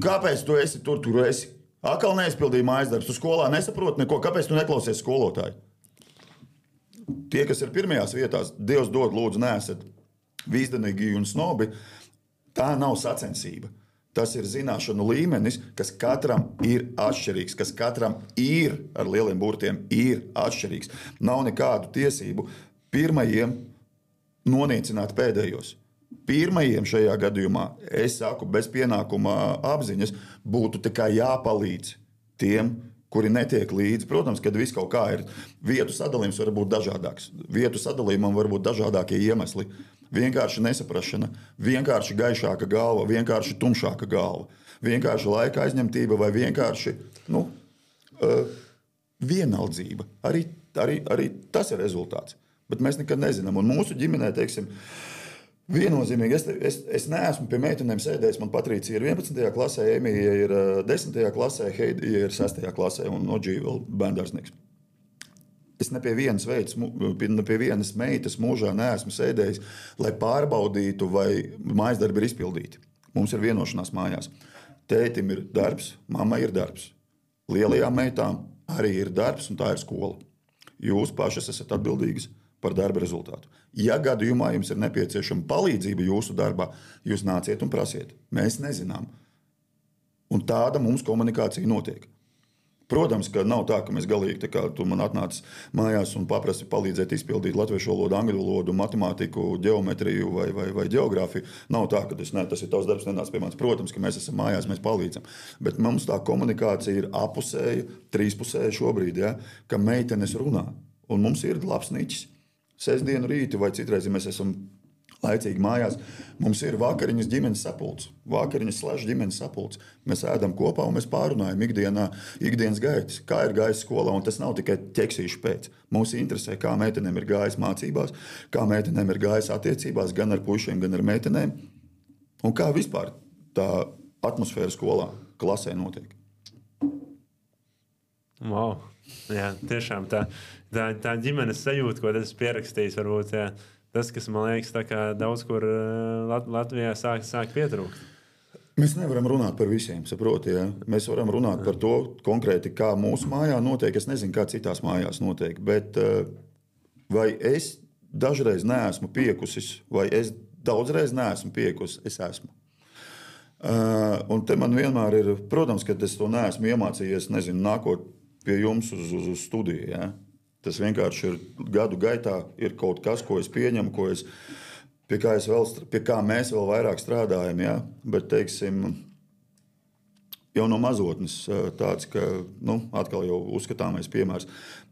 Kāpēc tu esi tur esi? Atkal neizpildīji mājas darbus. Tu skolā nesaproti neko. Kāpēc tu neklausies skolotāju? Tie, kas ir pirmajās vietās, Dievs dod, lūdzu, neesat vīzdenīgi un snobi, tā nav sacensība. Tas ir zināšanu līmenis, kas katram ir atšķirīgs, kas katram ir ar lieliem burtiem ir atšķirīgs. Nav nekādu tiesību pirmajiem noniecināt pēdējos. Pirmajiem šajā gadījumā, es saku, bez pienākuma apziņas būtu tikai jāpalīdz tiem, kuri netiek līdzi. Protams, kad viss kaut kā ir, vietu sadalījums var būt dažādāks. Vietu sadalījumam var būt dažādākie iemesli. Vienkārši nesaprašana, vienkārši gaišāka galva, vienkārši tumšāka galva, vienkārši laika aizņemtība vai vienkārši vienaldzība. Arī tas ir rezultāts. Bet mēs nekad nezinām. Un mūsu ģimenē, teiksim, viennozīmīgi, es neesmu pie meitenēm sēdējis. Man Patricija ir 11. klasē, Emīja ir 10. klasē, Heidija ir 6. klasē un Oģija vēl bērndārznieks. Es ne pie vienas meitas mūžā neesmu sēdējis, lai pārbaudītu, vai mājas darbi ir izpildīti. Mums ir vienošanās mājās. Tētim ir darbs, mammai ir darbs. Lielajām meitām arī ir darbs, un tā ir skola. Jūs pašas esat atbildīgas par darba rezultātu. Ja gadījumā jums ir nepieciešama palīdzība jūsu darbā, jūs nāciet un prasiet. Mēs nezinām. Un tāda mums komunikācija notiek. Protams, ka nav tā, ka mēs galīgi, tā kā tu man atnāc mājās un paprasti palīdzēt izpildīt latviešu valodu, angļu valodu, matemātiku, ģeometriju vai geogrāfiju. Nav tā, ka tas ir tavs darbs, nenāc pie manis. Protams, ka mēs esam mājās, mēs palīdzam. Bet mums tā komunikācija ir apusēja, trīspusēja šobrīd, ja, ka meitenes runā. Un mums ir labs niķis. Sestdienu rīti vai citreiz, ja mēs esam laicīgi mājās, mums ir vakariņas ģimenes sapulcs. Vakariņas / ģimenes sapulcs. Mēs ēdam kopā un mēs pārunājam ikdienas gaitas. Kā ir gājis skolā, un tas nav tikai ķeksīšu pēc. Mums interesē, kā meitenēm ir gājis mācībās, kā meitenēm ir gājis attiecībās, gan ar puišiem, gan ar meitenēm. Un kā vispār tā atmosfēra skolā, klasē notiek. Wow. Jā, tiešām tā ģimenes sajūta, ko tas pierakstījis, varbūt jā, tas, kas man liekas, tā kā daudz kur Latvijā sāk pietrūkt. Mēs nevaram runāt par visiem, saproti, ja? Mēs varam runāt par to konkrēti, kā mūsu mājā notiek. Es nezinu, kā citās mājās notiek, bet vai es dažreiz neesmu piekusis, vai es daudzreiz neesmu piekusis, es esmu. Un te man vienmēr ir, protams, ka es to neesmu iemācījies, nezinu, nākot pie jums uz studiju. Ja? Tas vienkārši ir gadu gaitā, ir kaut kas, ko es pieņemu, pie kā mēs vēl vairāk strādājam. Ja? Bet, teiksim, jau no mazotnes tāds, ka atkal jau uzskatāmais piemērs.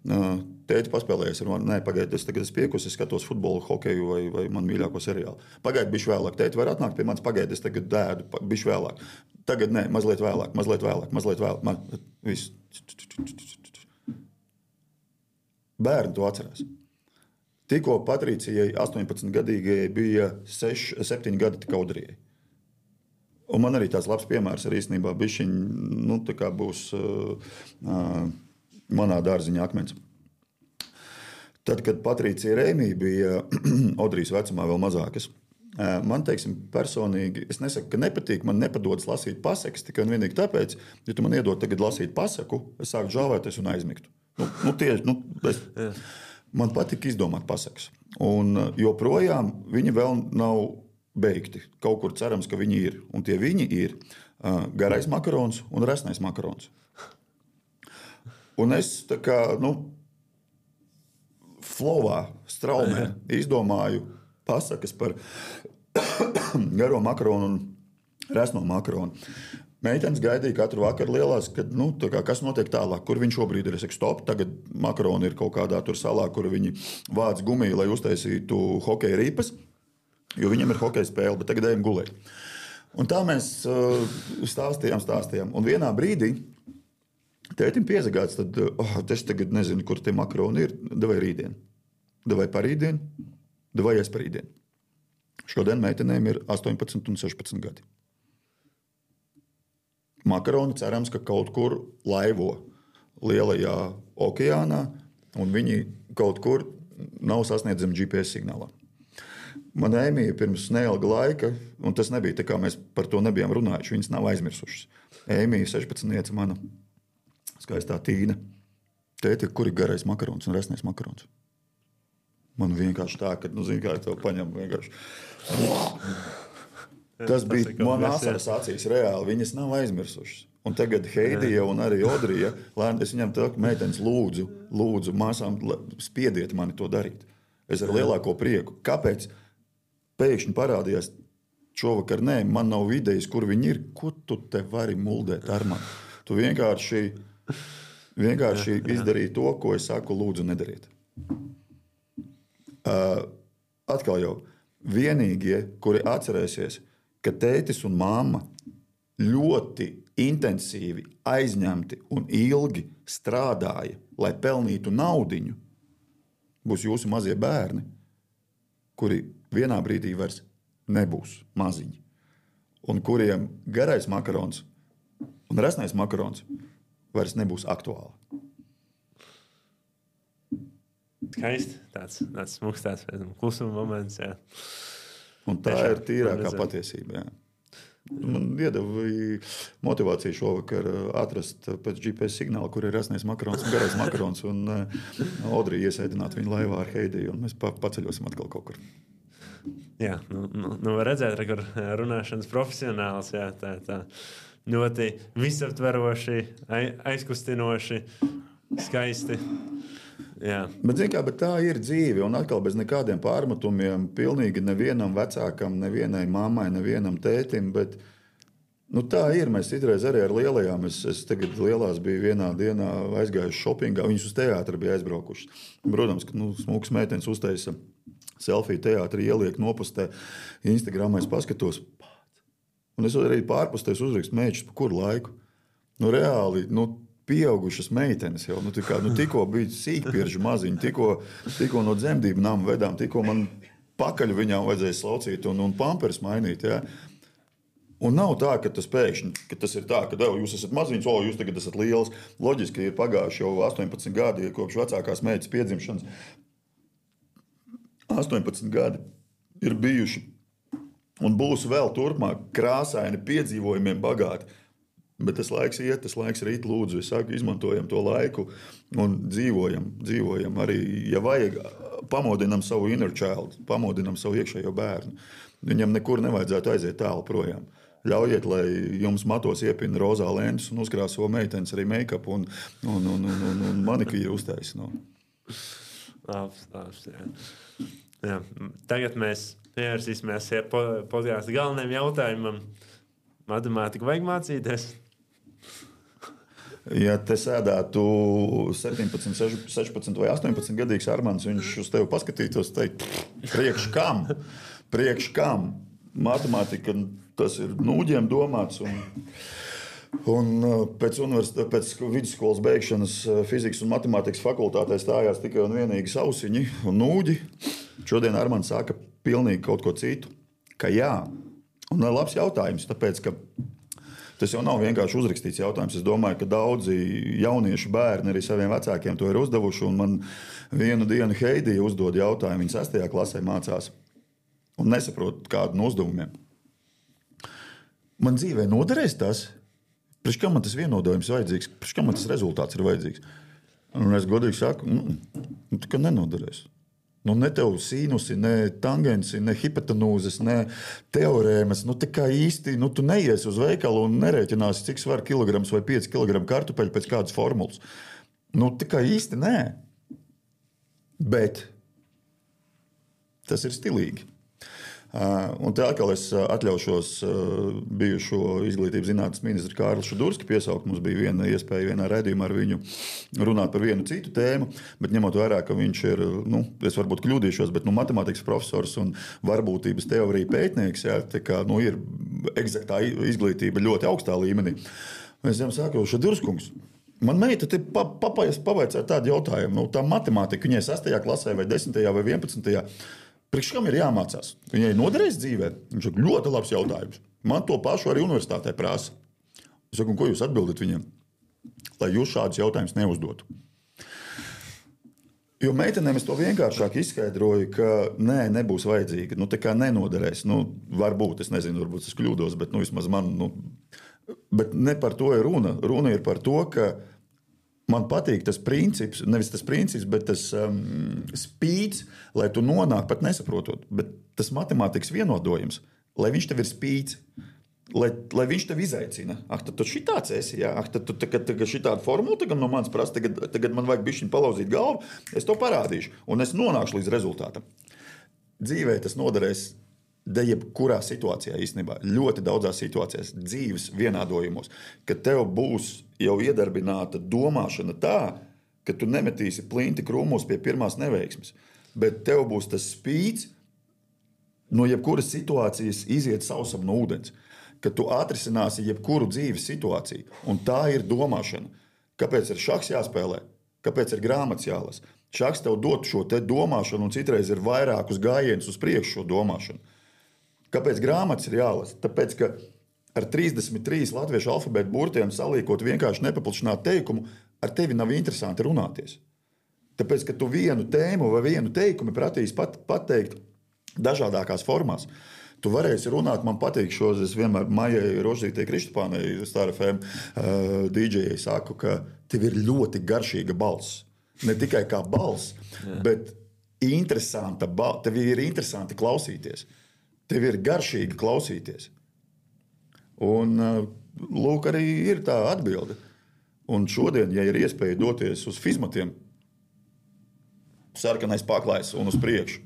Tēti paspēlējies ar mani. Nē, pagaidi, es tagad piekusi, es skatos futbolu, hokeju vai man mīļāko seriālu. Pagaidi, bišķi vēlāk. Tēti var atnākt pie manis, pagaidi, es tagad dēdu, bišķi vēlāk. Tagad nē, mazliet vēlāk. Viss. Bērni to atcerās. Tikko Patricijai 18-gadīgajai bija 7 gadi tik Audrijai. Un man arī tāds labs piemērs ar īstenībā bišķiņ, tā kā būs manā dārziņā akmens. Tad, kad Patricija Rēmī bija Audrijas vecumā vēl mazākas, man, teiksim, personīgi, es nesaku, ka nepatīk, man nepadodas lasīt pasakas, tikai un vienīgi tāpēc, ja tu man iedod tagad lasīt pasaku, es sāku žāvēties un aizmigtu. Man patika izdomāt pasakas. Un joprojām viņi vēl nav beigti. Kaut kur cerams, ka viņi ir. Un tie viņi ir garais makarons un resnais makarons. Un es tā kā, flowā, straumē izdomāju pasakas par garo makaronu un resno makaronu. Meitenes gaidīja katru vakaru lielās, kad, kas notiek tālāk, kur viņš šobrīd ir. Es saku, stop, tagad makaroni ir kaut kādā tur salā, kur viņi vāc gumiju, lai uztaisītu hokeja ripas, jo viņam ir hokeja spēle, bet tagad ejam gulēt. Un tā mēs stāstījām. Un vienā brīdī tētim piezagāts, tad es tagad nezinu, kur tie makaroni ir, davai rītdien. Davai parītdien, davai es parītdien. Šodien meitenēm ir 18 un 16 gadi. Makaroni cerams, ka kaut kur laivo lielajā okeānā, un viņi kaut kur nav sasniedzami GPS signālā. Man Ēmija pirms neilga laika, un tas nebija tā kā mēs par to nebijām runājuši, viņas nav aizmirsušas. Ēmija 16, mana skaistā Tīna. Tēti, kur ir garais makarons un resnais makarons? Man vienkārši tā, ka, kā tev paņem vienkārši. Tas bija man asaras acīs reāli, viņas nav aizmirsušas. Un tagad Heidija un arī Audrija, es viņam teiktu, meitenes lūdzu māsām, spiediet mani to darīt. Es ar lielāko prieku. Kāpēc pēkšņi parādījās šovakar? Nē, man nav idejas, kur viņi ir. Ko tu te vari muldēt ar mani? Tu vienkārši izdarīji to, ko es saku, lūdzu nedariet. Atkal jau vienīgie, kuri atcerēsies, ka tētis un mamma ļoti intensīvi, aizņemti un ilgi strādāja, lai pelnītu naudiņu, būs jūsu mazie bērni, kuri vienā brīdī vairs nebūs maziņi, un kuriem garais makarons un resnais makarons vairs nebūs aktuāli. Skaisti. Tāds smuks, tāds klusuma moments. Jā. Un tā ir tīrākā patiesība. Jā. Man iedeva motivāciju šovakar atrast pēc GPS signāla, kur ir resnais makarons un garais makarons, un Audrija iesēdināt viņu laivā ar Heidiju, un mēs paceļosim atkal kaut kur. Jā, var redzēt, kur runāšanas profesionāls, jā, tā ļoti visaptveroši, aizkustinoši, skaisti. Jā. Bet tā ir dzīve, un atkal bez nekādiem pārmetumiem, pilnīgi nevienam vecākam, nevienai mammai, nevienam tētim, bet tā ir. Mēs citreiz arī ar lielajām, es tagad lielās biju vienā dienā aizgājuši šopingā, viņas uz teātri bija aizbraukuši. Protams, ka smuks meitenes uztaisa selfiju teātri, ieliek nopustē, Instagramā es paskatos, un es arī pārpustēs uzrakstu mēģus, pa kuru laiku. Reāli, pieaugušas meitenes jau, tikko bija sīkpieržu maziņi, tikko no dzemdību nama vedām, tikko man pakaļu viņām vajadzēja slaucīt un pampers mainīt, ja? Un nav tā, ka tas pēkšņi, ka tas ir tā, ka jūs esat maziņš, jūs tagad esat liels. Loģiski ir pagājuši jau 18 gadi, kopš vecākās meitas piedzimšanas. 18 gadi ir bijuši un būs vēl turpmāk krāsaini, piedzīvojumiem bagāti. Bet tas laiks iet, tas laiks rīt, lūdzu. Es saku, izmantojam to laiku un dzīvojam arī, ja vajag, pamodinam savu inner child, pamodinam savu iekšējo bērnu. Viņam nekur nevajadzētu aiziet tālu projām. Ļaujiet, lai jums matos iepina rozā lēntus un uzkrāso meitenes arī make-up un manikīru uztais. No. Labs, jā. Tagad mēs pievērsīsimies podkāstu galvenajam jautājumam. Matemātiku vajag mācīties? Ja te sēdētu 17, 16 vai 18 gadīgs Armands, viņš uz tevi paskatītos, teikt, priekš kam? Matemātika, tas ir nūģiem domāts. Un pēc vidusskolas beigšanas fizikas un matemātikas fakultātē stājās tikai un vienīgi sausiņi un nūģi. Šodien Armands saka pilnīgi kaut ko citu, ka jā. Un labs jautājums, tāpēc, ka tas jau nav vienkārši uzrakstīts jautājums. Es domāju, ka daudzi jaunieši bērni arī saviem vecākiem to ir uzdevuši. Un man vienu dienu Heidija uzdod jautājumu. Viņa 6. klasē mācās un nesaprot kādu no uzdevumiem. Man dzīvē noderēs tas? Priekš kam man tas vienodojums vajadzīgs? Priekš kam man tas rezultāts ir vajadzīgs? Un es godīgi saku, ka nenoderēs. Ne tev sīnusi, ne tangensi, ne hipotenūzes, ne teorēmas. Tā kā īsti tu neiesi uz veikalu un nerēķināsi, cik svar kilograms vai 5 kilogramu kartupeļu pēc kādas formulas. Tā kā īsti nē. Bet tas ir stilīgi. Un te atkal es atļaušos bijušo izglītības zinātnes ministru Kārli Šudurski piesaukt. Mums bija viena iespēja vienā raidījumā ar viņu runāt par vienu citu tēmu, bet ņemot vērā, ka viņš ir, es varbūt kļūdīšos, bet matemātikas profesors un varbūtības teorija pētnieks, jā, tā kā, ir eksaktā izglītība ļoti augstā līmenī. Es viņam saku, Šudurskungs, man meita te pavaicāja tādu jautājumu, tā matemātika, viņai 6. klasē vai 10. vai 11. Priekš kam ir jāmācās? Viņai noderēs dzīvē? Viņš saka, ļoti labs jautājums. Man to pašu arī universitātē prasa. Es saku, ko jūs atbildat viņam? Lai jūs šādus jautājumus neuzdotu. Jo meitenēm es to vienkāršāk izskaidroju, ka nebūs vajadzīga. Tā kā nenoderēs. Varbūt, es nezinu, varbūt es kļūdos, bet vismaz man. Bet ne par to ir runa. Runa ir par to, ka man patīk tas princips, nevis tas princips, bet tas spīds, lai tu nonāk pat nesaprotot. Bet tas matemātikas vienodojums, lai viņš tev ir spīds, lai viņš tev izaicina. Tad tu šitāds esi, jā. Tad tu tagad šitādu formulu tagad no manis prasa, tagad man vajag bišķiņ palauzīt galvu, es to parādīšu, un es nonākšu līdz rezultātam. Dzīvē tas noderēs jebkurā situācijā īstenībā, ļoti daudzās situācijās, dzīves vienādojumos, ka tev būs jau iedarbināta domāšana tā, ka tu nemetīsi plinti krūmos pie pirmās neveiksmes, bet tev būs tas spīds no jebkuras situācijas iziet sausam no ūdens, ka tu atrisināsi jebkuru dzīves situāciju, un tā ir domāšana. Kāpēc ir šahs jāspēlē? Kāpēc ir grāmatas jālas? Šahs tev dod šo te domāšanu, un citreiz ir vairākus gājienus uz priekšu šo domāšanu. Kāpēc grāmatas ir jālasa? Tāpēc, ka ar 33 latviešu alfabētu burtiem salīkot vienkārši nepaplašināt teikumu, ar tevi nav interesanti runāties. Tāpēc, ka tu vienu tēmu vai vienu teikumu prasīs pateikt dažādākās formās. Tu varēsi runāt, man patīk šos, es vienmēr Maijai Rožītei Kristupānei, Star FM DJai saku, ka tev ir ļoti garšīga balss. Ne tikai kā balss, bet tev ir interesanti klausīties. Tev ir garšīgi klausīties. Un lūk, arī ir tā atbilde. Un šodien, ja ir iespēja doties uz fizmatiem, sarkanais paklājs un uz priekšu.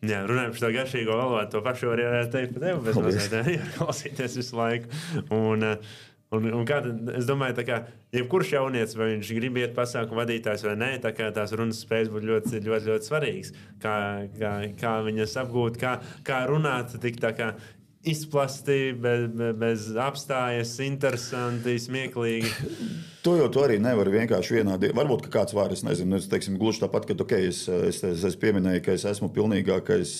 Jā, runājot par to garšīgo valodu, to pašu var teikt par tevi, bet mazliet klausīties visu laiku. Un kā tad, es domāju, tā kā jebkurš jaunietis, vai viņš grib iet pasākumu vadītājs vai nē, tā kā tās runas spējas būtu ļoti, ļoti, ļoti svarīgas. Kā viņas apgūt, kā runāt tik tā kā izplasti, bez apstājas, interesanti, smieklīgi. To arī nevar vienkārši vienādi. Varbūt kāds var, es nezinu, teiksim, gluži tāpat, ka es pieminēju, ka es esmu pilnīgākais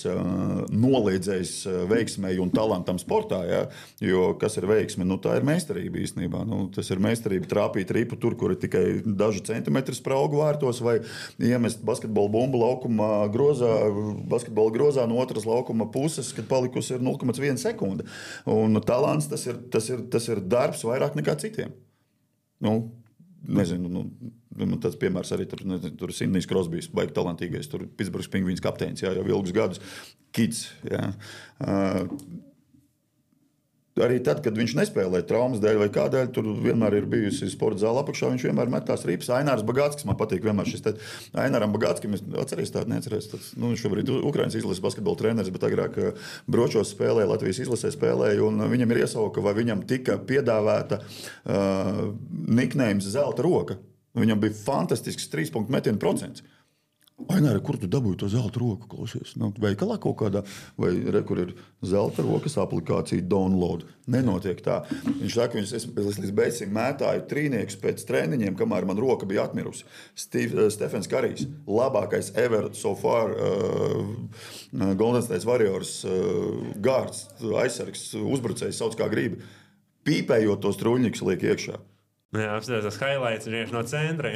noliedzējs veiksmei un talantam sportā. Ja? Jo kas ir veiksme? Tā ir meistarība īstenībā. Tas ir meistarība trāpīt ripu tur, kur ir tikai daži centimetri spraugu vārtos, vai iemest basketbola bumbu laukuma grozā, basketbola grozā no otras laukuma puses, kad palikusi ir 0,1 sekunde. Un talants tas ir darbs vairāk nekā citiem. Nezinu, man tāds piemērs arī tur Sidnijs Krosbijs, baigi talantīgais, tur Pitsburgas Pingvīns kapteinis, jau ilgus gadus, kids, jā. Arī tad, kad viņš nespēlē traumas dēļ vai kādēļ, tur vienmēr ir bijusi sporta zāle apakšā. Viņš vienmēr met tās ripas. Ainārs Bagātskis man patīk. Vienmēr šis Aināram Bagātskim, atceries tādu, neatceries. Viņš šobrīd ir Ukrainas izlases basketbola treneris, bet agrāk Bročos spēlēja, Latvijas izlasē spēlēja. Viņam ir iesauka, vai viņam tika piedāvāta niknējums zelta roka. Viņam bija fantastisks 3-punktu metienu procents. Aināri, kur tu dabūji to zelta roku, klausies? Veikalā kaut kādā, vai kur ir zelta rokas aplikācija download. Nenotiek tā. Viņš saka, es līdz beigsim mētāju trīniekus pēc treniņiem, kamēr man roka bija atmirusi. Stefens Karijs, labākais ever so far Golden State Warriors gārds, aizsargs, uzbrucējs, sauc kā gribi. Pīpējot tos truļņikus liek iekšā. Jā, apstāties tas highlights vienkārši no centra.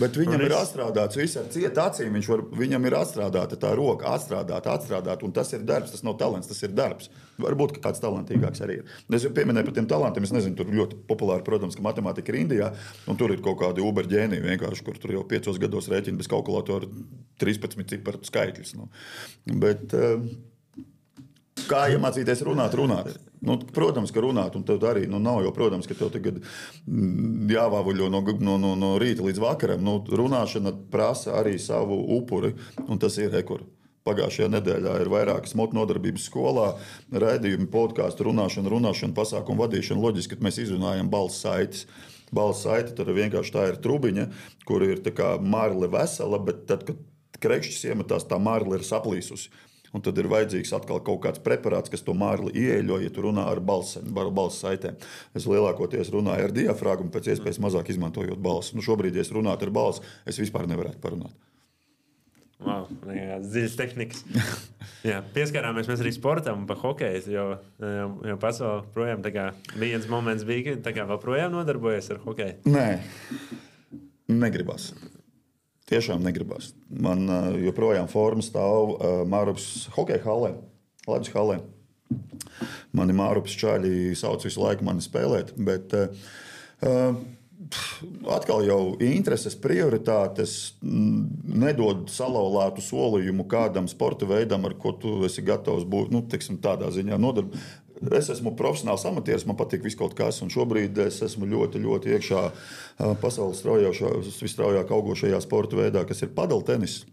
Bet viņam ir atstrādāts viss ar cietu acīm. Viņam ir atstrādāta tā roka, atstrādāta. Un tas ir darbs, tas nav talants, tas ir darbs. Varbūt kāds talantīgāks arī ir. Es jau pieminēju par tiem talantiem. Es nezinu, tur ļoti populāri, protams, ka matemātika ir Indijā. Un tur ir kaut kādi uberģēniji vienkārši, kur tur jau 5 gados rēķina bez kalkulatora 13 ciparu skaitļus. Bet kā iemācīties runāt? Protams, ka runāt, un tev arī nav jau, protams, ka tev tagad jāvāvuļo no rīta līdz vakaram. Runāšana prasa arī savu upuri, un tas ir rekur. Pagājušajā nedēļā ir vairākas motu nodarbības skolā, raidījumi, podkāstu, runāšana, pasākumu vadīšana. Loģiski, ka mēs izrunājam balss saites. Balss saite tad vienkārši tā ir trubiņa, kur ir tā kā marle vesela, bet tad, kad krekšķis iemetās, tā marle ir saplīsusi. Un tad ir vajadzīgs atkal kaut kāds preparāts, kas to mārli ieeļo, ja tu runā ar balss saitēm. Es lielākoties runāju ar diafragmu, pēc iespējas mazāk izmantojot balsi. Šobrīd, ja es runātu ar balsi, es vispār nevarētu parunāt. Wow, dziļas tehnikas. Jā, pieskārāmies mēs arī sportam pa hokeju, jo pasaulē projām viens moments bija, ka vēl projām nodarbojies ar hokeju. Nē, negribas. Tiešām negribas. Man joprojām forma stāv Mārupas hokeja halē, Latvijas halē. Mani Mārupas čaļi sauc visu laiku mani spēlēt, bet atkal jau intereses, prioritātes nedod salauztu solījumu kādam sporta veidam, ar ko tu esi gatavs būt, tādā ziņā nodarbināts. Es esmu profesionāls amatieris, man patīk viss kaut kas, un šobrīd es esmu ļoti, ļoti iekšā pasaules visstraujāk augošajā sporta veidā, kas ir padeltenis.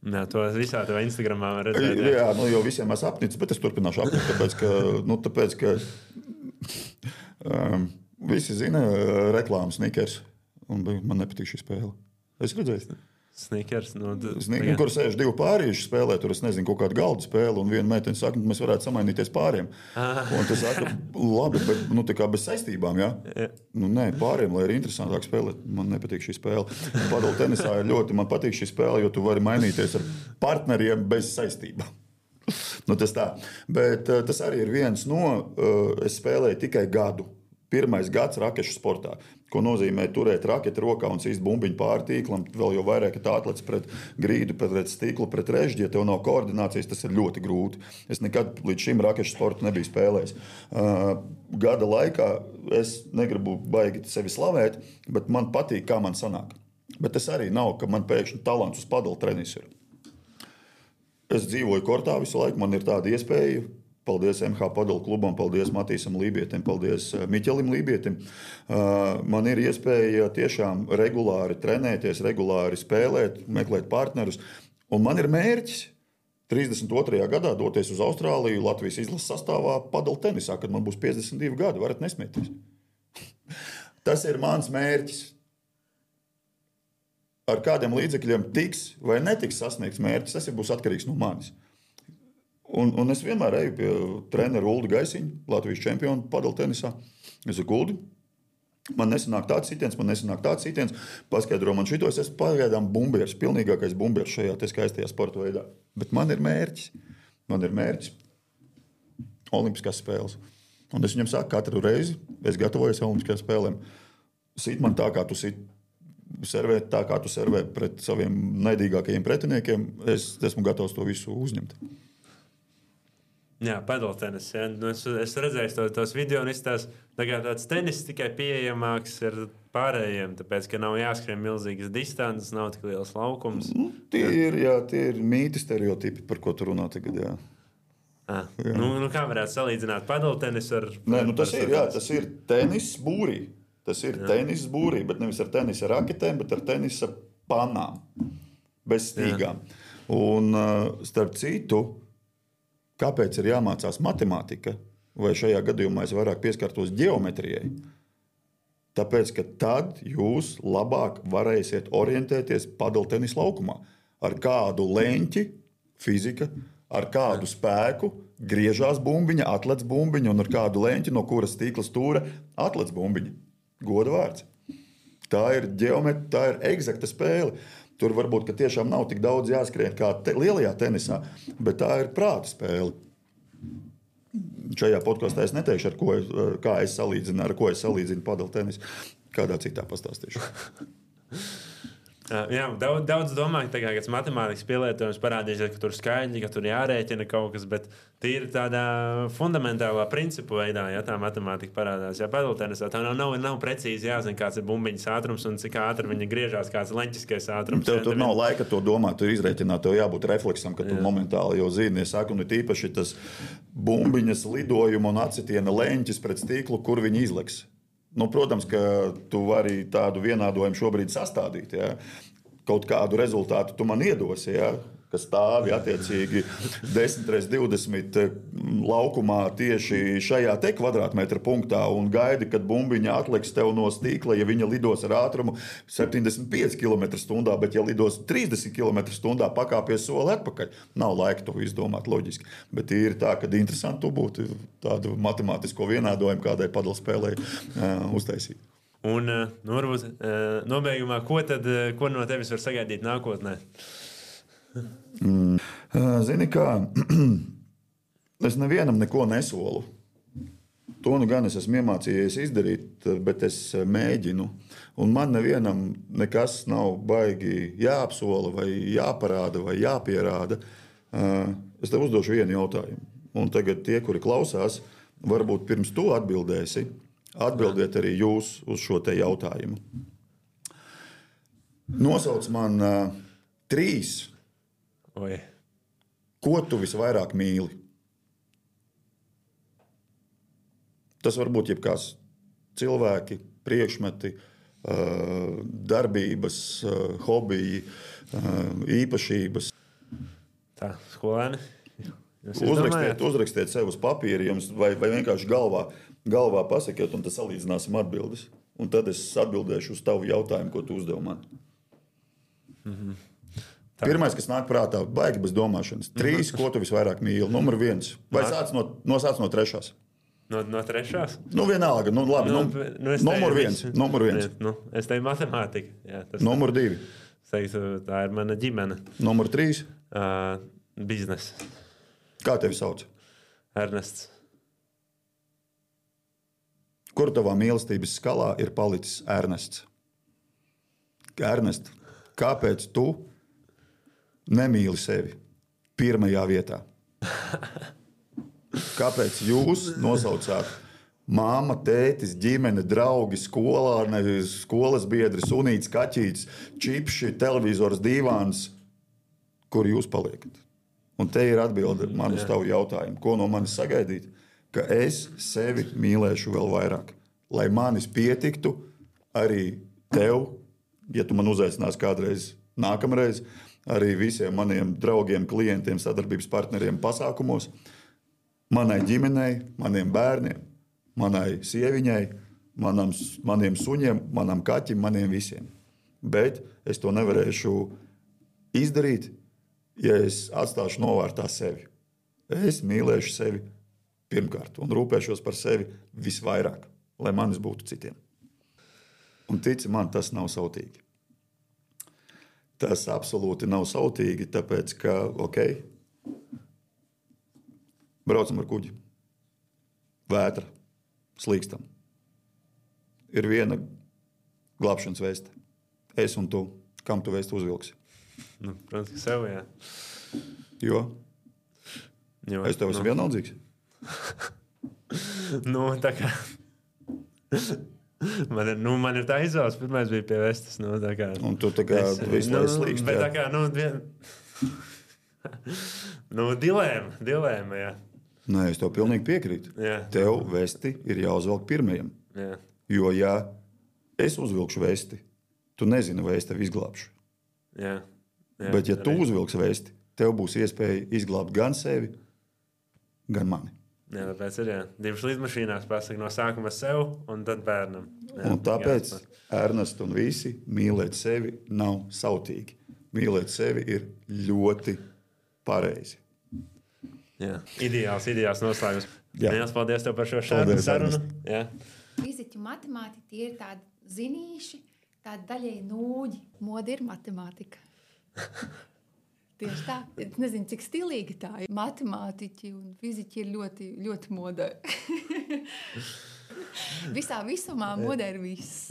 Jā, to visā tavā Instagramā var redzēt. Jā, jau visiem es apnicis, bet es turpināšu apnikt, tāpēc, ka visi zina reklāmas Snickers, un man nepatīk šī spēle. Es redzēju. Snickers, kur sēž 2 pārīši spēlē, tur es nezinu, kaut kādu galdu spēli, un viena meitene saka, mēs varētu samainīties pāriem. Un tas saka, labi, bet tā kā bez saistībām, jā? Nē, pāriem, lai ir interesantāk spēlēt. Man nepatīk šī spēle. Padel tenisā ir ļoti, man patīk šī spēle, jo tu vari mainīties ar partneriem bez saistībām. Tas tā. Bet tas arī ir viens es spēlēju tikai gadu. Pirmais gads rakešu sportā, ko nozīmē turēt raketi rokā un cīst bumbiņu pāri tīklam. Vēl jau vairāk, ka tā atlec pret grīdu, pret stiklu, pret režģi. Ja tev nav koordinācijas, tas ir ļoti grūti. Es nekad līdz šim rakešu sportu nebiju spēlējis. Gada laikā es negribu baigi sevi slavēt, bet man patīk, kā man sanāk. Bet tas arī nav, ka man pēkšņi talants uz padelu tenis ir. Es dzīvoju kortā visu laiku, man ir tāda iespēja. Paldies MH Padelu klubam, paldies Matīsam Lībietim, paldies Miķelim Lībietim. Man ir iespēja tiešām regulāri trenēties, regulāri spēlēt, meklēt partnerus. Un man ir mērķis 32. gadā doties uz Austrāliju, Latvijas izlases sastāvā padelu tenisā, kad man būs 52 gadi. Varat nesmieties. Tas ir mans mērķis. Ar kādiem līdzekļiem tiks vai netiks sasniegts mērķis, tas būs atkarīgs no manis. Un es vienmēr eju pie trenera Ulda Gaisiņa, Latvijas čempiona padelu tenisā. Es saku, Uldi, man nesanāk tāds sitiens, paskaidro man šito, es esmu pagaidām bumbieris, pilnīgākais bumbieris šajā skaistajā sporta veidā. Bet man ir mērķis olimpiskās spēles. Un es viņam saku, katru reizi es gatavojos olimpiskajām spēlēm. Sit man tā, kā tu sit. Servēt tā, kā tu servē pret saviem naidīgākajiem pretiniekiem. Es esmu gatavs to visu uzņemt. Jā, padeltenis. Ja. Es redzēju tos video, un tāds tenis tikai pieejamāks ir pārējiem, tāpēc, ka nav jāskrien milzīgas distances, nav tik liels laukums. Tie ir mīti, stereotipi, par ko tu runā tagad. Jā. Kā varētu salīdzināt padaltenisu ar... Nē, tas ir tenis būrī. Tas ir tenis būrī, bet nevis ar tenisa raketēm, bet ar tenisa panām. Bez stīgām. Un starp citu, kāpēc ir jāmācās matemātika, vai šajā gadījumā es vairāk pieskartos ģeometrijai? Tāpēc, ka tad jūs labāk varēsiet orientēties padaltenis laukumā. Ar kādu leņķi, fizika, ar kādu spēku griežās bumbiņa, atlec bumbiņa, un ar kādu leņķi, no kuras stīkla stūra atlec bumbiņa. Goda vārds. Tā ir ģeometrija, tā ir eksakta spēle. Tur varbūt tiešām nav tik daudz jāskrien kā lielajā tenisā, bet tā ir prāta spēle. Šajā podkastā es neteikšu, kā es salīdzinu padel tenisu. Kādā citā pastāstīšu. Jā, daudz domāju, ka tas matemātikas pielietojums parādīsies, ka tur skaidri, ka tur jārēķina kaut kas, bet tīri tādā fundamentālā principu veidā, ja tā matemātika parādās. Ja padaltenisā tā nav precīzi jāzina, kāds ir bumbiņas ātrums un cik ātri viņa griežās, kāds ir leņķiskais ātrums. Tur nav laika to domāt, tur izrēķināt, tev jābūt refleksam, ka tu momentāli jau zini. Es saku, un ir īpaši tas bumbiņas lidojuma un acitiena leņķis pret stīklu, kur viņi izleks. Protams, ka tu vari tādu vienādojumu šobrīd sastādīt. Ja? Kaut kādu rezultātu tu man iedosi, ja? Kas stāvi attiecīgi 10x20 laukumā tieši šajā te kvadrātmetra punktā un gaidi, kad bumbiņa atliks tev no stīkla, ja viņa lidos ar ātrumu 75 km/h, bet ja lidos 30 km/h, pakāpies soli atpakaļ. Nav laika to izdomāt loģiski. Bet ir tā, ka interesanti tu būtu tādu matemātisko vienādojumu kādai padelspēlei uztaisīt. Un varbūt nobeigumā, ko no tevis var sagaidīt nākotnē? Zini kā, es nevienam neko nesolu. To gan es esmu iemācījies izdarīt, bet es mēģinu. Un man nevienam nekas nav baigi jāapsola vai jāparāda vai jāpierāda. Es tev uzdošu vienu jautājumu. Un tagad tie, kuri klausās, varbūt pirms tu atbildēsi, atbildiet arī jūs uz šo te jautājumu. Nosauc man 3. Oi. Ko tu visvairāk mīli? Tas var būt jebkās cilvēki, priekšmeti, darbības, hobiji, īpašības. Tā, skolēni. Uzrakstiet sev uz papīra vai vienkārši galvā pasakiet, un tad salīdzināsim atbildes. Un tad es atbildēšu uz tavu jautājumu, ko tu uzdevi man. Pirmais, kas nāk prātā, baigi bez domāšanas. 3, ko tu visvairāk mīli? Numur 1. Vai sāc no 3? No 3? Vienalga. Labi. Numur 1. Es teiktu matemātika. Jā, numur 2. Es teiktu, tā ir mana ģimene. Numur 3. Bizness. Kā tevi sauc? Ernests. Kur tavā mīlestības skalā ir palicis Ernests? Ernest, kāpēc tu nemīli sevi pirmajā vietā? Kāpēc jūs nosaucāt māma, tētis, ģimene, draugi, skolas biedri, sunīts, kaķītis, čipši, televizors, dīvāns, kur jūs paliekat? Un te ir atbilde man uz tavu jautājumu. Ko no manis sagaidīt? Ka es sevi mīlēšu vēl vairāk. Lai manis pietiktu arī tev, ja tu man uzaicināsi kādreiz nākamreiz, arī visiem maniem draugiem, klientiem, sadarbības partneriem pasākumos, manai ģimenei, maniem bērniem, manai sieviņai, maniem suņiem, manam kaķim, maniem visiem. Bet es to nevarēšu izdarīt, ja es atstāšu novārtā sevi. Es mīlēšu sevi pirmkārt un rūpēšos par sevi visvairāk, lai manis būtu citiem. Un tici man, tas nav sautīgi. Tas absolūti nav sautīgi, tāpēc, ka, braucam ar kuģi. Vētra, slīkstam. Ir viena glābšanas vēsta. Es un tu. Kam tu vēstu uzvilksi? Protams, ka sev, jā. Jo? Es tev esmu vienaldzīgs? Tā kā... Man ir tā izvēles, pirmais bija pie vestas. Un tu tā kā visu laiku slīkst. Bet tā kā, dilēma, jā. Nē, es tev pilnīgi piekrītu. Jā. Tev vesti ir jāuzvelk pirmajam. Jā. Jo, ja es uzvilkšu vesti, tu nezini, vai es tevi izglābšu. Jā. Jā. Bet, ja tu uzvilksi vesti, tev būs iespēja izglābt gan sevi, gan mani. Jā, tāpēc ir divas lidmašīnās pasaka no sākuma sev un tad bērnam. Jā, Un tāpēc Ernsts un visi mīlēt sevi nav sautīgi. Mīlēt sevi ir ļoti pareizi. Jā. Ideāls noslēgums. Jā. Lielas paldies tev par šo Paldies, sarunu. Jā. Fiziķu matemātika tie ir tādi zinīši, tādi daļēji nūģi. Moda ir matemātika. Tieši tā. Es nezinu, cik stilīgi tā ir. Matemātiķi un fiziķi ir ļoti, ļoti modē. Visā visumā modē ir viss.